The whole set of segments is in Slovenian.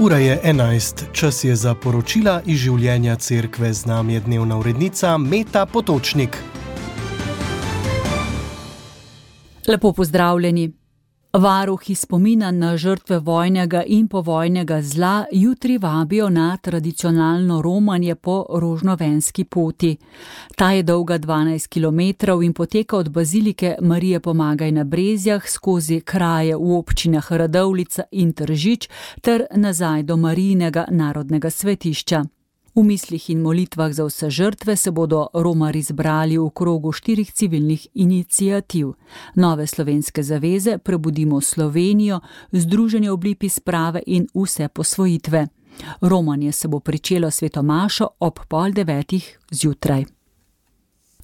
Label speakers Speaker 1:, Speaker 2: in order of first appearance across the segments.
Speaker 1: Ura je 11, čas je za poročila iz življenja cerkve, z nami je dnevna urednica Meta Potočnik.
Speaker 2: Lepo pozdravljeni. Varuhi spomina na žrtve vojnega in povojnega zla jutri vabijo na tradicionalno romanje po Rožnovenski poti. Ta je dolga 12 km in poteka od bazilike Marije Pomagaj na Brezjah skozi kraje v občinah Radovljica in Tržič ter nazaj do Marijinega narodnega svetišča. V mislih in molitvah za vse žrtve se bodo romarji zbrali v krogu 4 civilnih iniciativ. Nove slovenske zaveze, Prebudimo Slovenijo, Združenje Oblipi sprave in Vse posvojitve. Romanje se bo pričelo sveto mašo ob 8:30 zjutraj.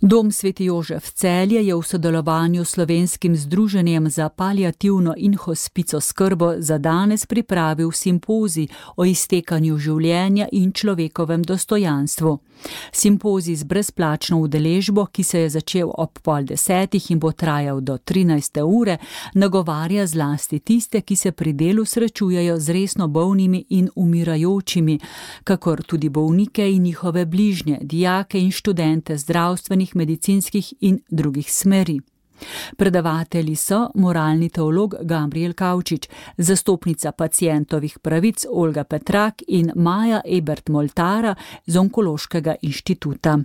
Speaker 2: Dom Sveti Jožef Celje je v sodelovanju s Slovenskim združenjem za paliativno in hospic oskrbo za danes pripravil simpozij o iztekanju življenja in človekovem dostojanstvu. Simpozij z brezplačno udeležbo, ki se je začel ob 9:30 in bo trajal do 13. ure, nagovarja zlasti tiste, ki se pri delu srečujejo z resno bolnimi in umirajočimi, kakor tudi bolnike in njihove bližnje, dijake in študente zdravstvenih, medicinskih in drugih smeri. Predavatelji so moralni teolog Gabriel Kavčič, zastopnica pacientovih pravic Olga Petrak in Maja Ebert Moltara z Onkološkega inštituta.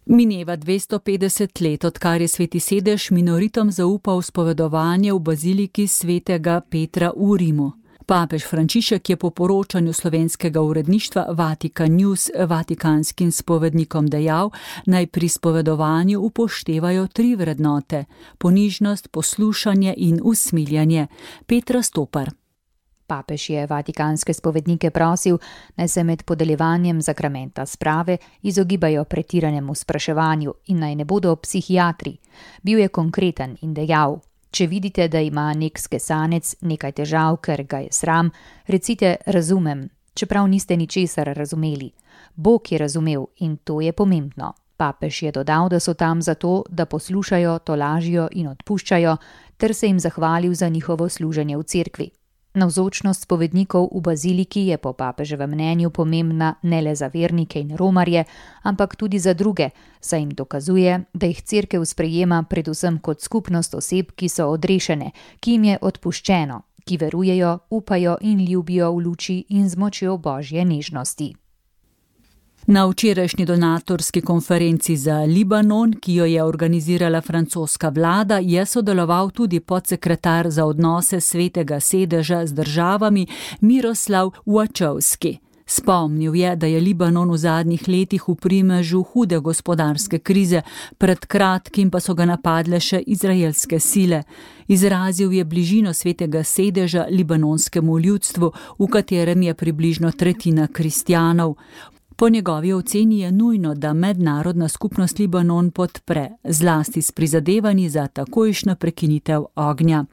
Speaker 2: Mineva 250 let, odkar je Sveti sedež minoritom zaupal spovedovanje v baziliki svetega Petra v Rimu. Papež Frančišek je po poročanju slovenskega uredništva Vatikan News vatikanskim spovednikom dejal, naj pri spovedovanju upoštevajo 3 vrednote: ponižnost, poslušanje in usmiljanje. Petra Stopar.
Speaker 3: Papež je vatikanske spovednike prosil, naj se med podeljevanjem sakramenta sprave izogibajo pretiranemu spraševanju in naj ne bodo psihiatri. Bil je konkreten in dejal: če vidite, da ima nek skesanec nekaj težav, ker ga je sram, recite razumem, čeprav niste ničesar razumeli. Bog je razumel in to je pomembno. Papež je dodal, da so tam zato, da poslušajo, tolažijo in odpuščajo, ter se jim zahvalil za njihovo služenje v cerkvi. Navzočnost spovednikov v baziliki je po papeževem mnenju pomembna ne le za vernike in romarje, ampak tudi za druge, saj jim dokazuje, da jih cerkev sprejema predvsem kot skupnost oseb, ki so odrešene, ki jim je odpuščeno, ki verujejo, upajo in ljubijo v luči in z močjo Božje nežnosti.
Speaker 2: Na včerajšnji donatorski konferenci za Libanon, ki jo je organizirala francoska vlada, je sodeloval tudi podsekretar za odnose Svetega sedeža z državami Miroslav Wačovski. Spomnil je, da je Libanon v zadnjih letih v primežu hude gospodarske krize, pred kratkim pa so ga napadle še izraelske sile. Izrazil je bližino Svetega sedeža libanonskemu ljudstvu, v katerem je približno 1/3 kristjanov. Po njegovi oceni je nujno, da mednarodna skupnost Libanon podpre, zlasti s prizadevanji za takojšnjo prekinitev ognja.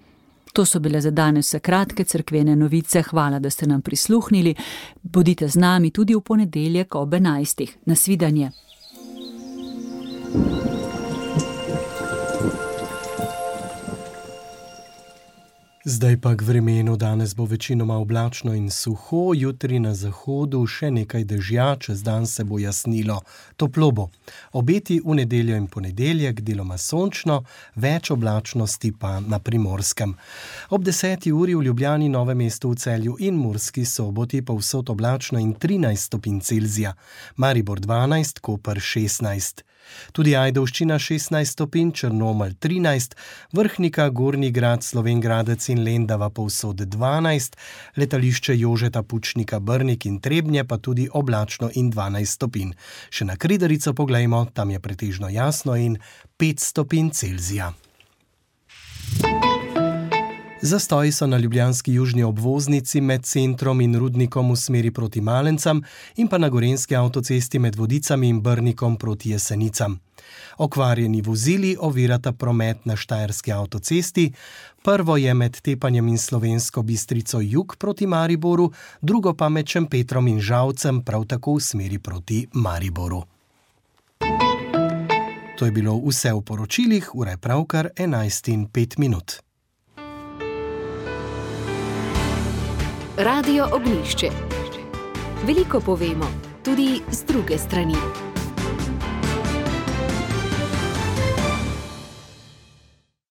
Speaker 2: To so bile za danes vse kratke cerkvene novice. Hvala, da ste nam prisluhnili. Bodite z nami tudi v ponedeljek ob 11. Nasvidenje.
Speaker 1: Zdaj pa k vremenu. Danes bo večinoma oblačno in suho, jutri na zahodu še nekaj dežja, čez dan se bo jasnilo, toplo bo. Obeti v nedeljo in ponedeljek deloma sončno, več oblačnosti pa na Primorskem. Ob 10. uri v Ljubljani, Novem mestu, v Celju in Murski Soboti povsod oblačno in 13 stopinj Celzija, Maribor 12, Koper 16. Tudi Ajdovščina 16 stopinj, Črnomelj 13, Vrhnika, Gornji Grad, Slovenj Gradec in Lendava povsod 12, letališče Jožeta Pučnika, Brnik in Trebnje pa tudi oblačno in 12 stopinj. Še na Kredarico poglejmo, tam je pretežno jasno in 5 stopinj Celzija. Zastoji so na ljubljanski južni obvoznici med centrom in Rudnikom v smeri proti Malencam in pa na gorenjski avtocesti med Vodicami in Brnikom proti Jesenicam. Okvarjeni vozili ovirata promet na štajerski avtocesti. Prvo je med Tepanjem in Slovensko Bistrico jug proti Mariboru, drugo pa med Šempetrom in Žalcem prav tako v smeri proti Mariboru. To je bilo vse v poročilih, ura je pravkar 11:05.
Speaker 4: Radio Ognjišče. Veliko povemo, tudi z druge strani.